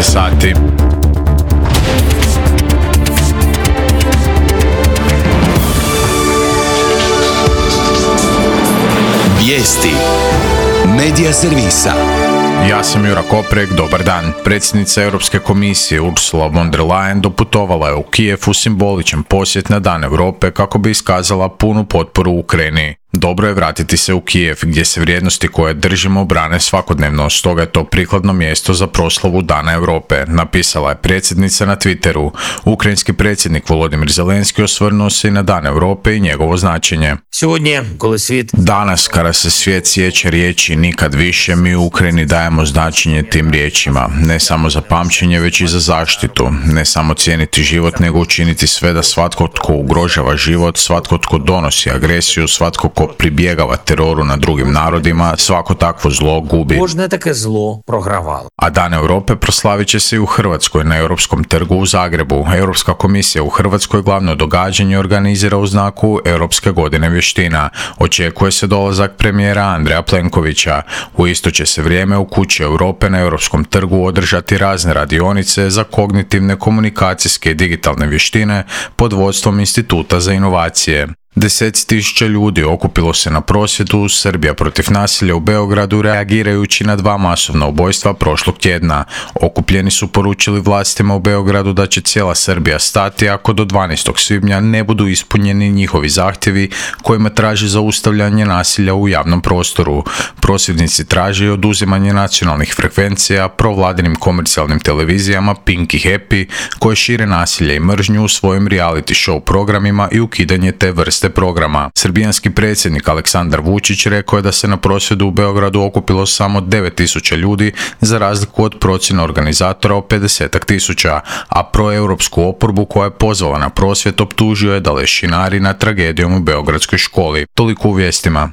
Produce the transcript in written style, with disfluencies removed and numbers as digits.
sati. Vijesti Medija servisa. Ja sam Jura Koprek, dobar dan. Predsjednica Europske komisije Ursula von der Leyen doputovala je u Kijev u simboličan posjet na Dan Europe kako bi iskazala punu potporu Ukrajini. Dobro je vratiti se u Kijev gdje se vrijednosti koje držimo brane svakodnevno, stoga je to prikladno mjesto za proslavu Dana Europe, napisala je predsjednica na Twitteru. Ukrajinski predsjednik Volodymyr Zelensky osvrnuo se i na Dan Europe i njegovo značenje. Danas, kada se svijet sjeća riječi nikad više, mi u Ukrajini dajemo značenje tim riječima. Ne samo za pamćenje, već i za zaštitu. Ne samo cijeniti život, nego učiniti sve da svatko tko ugrožava život, svatko tko donosi agresiju, svatko tko pribjegava teroru na drugim narodima, svako takvo zlo gubi. Kожне таке зло програвало. A Dan Europe proslavit će se i u Hrvatskoj na Europskom trgu u Zagrebu. Europska komisija u Hrvatskoj glavno događanje organizira u znaku Europske godine vještina. Očekuje se dolazak premijera Andreja Plenkovića. U isto će se vrijeme u Kući Europe na Europskom trgu održati razne radionice za kognitivne, komunikacijske i digitalne vještine pod vodstvom Instituta za inovacije. 10.000 ljudi okupilo se na prosvjedu Srbija protiv nasilja u Beogradu reagirajući na 2 masovna ubojstva prošlog tjedna. Okupljeni su poručili vlastima u Beogradu da će cijela Srbija stati ako do 12. svibnja ne budu ispunjeni njihovi zahtjevi kojima traži zaustavljanje nasilja u javnom prostoru. Prosvjednici traže oduzimanje nacionalnih frekvencija provladinim komercijalnim televizijama Pink i Happy koje šire nasilje i mržnju u svojim reality show programima i ukidanje te vrste programa. Srbijanski predsjednik Aleksandar Vučić rekao je da se na prosvjedu u Beogradu okupilo samo 9.000 ljudi za razliku od procjene organizatora o 50.000, a proeuropsku oporbu koja je pozvala na prosvjed optužio je da lešinari nad tragedijom u beogradskoj školi. Toliko u vijestima.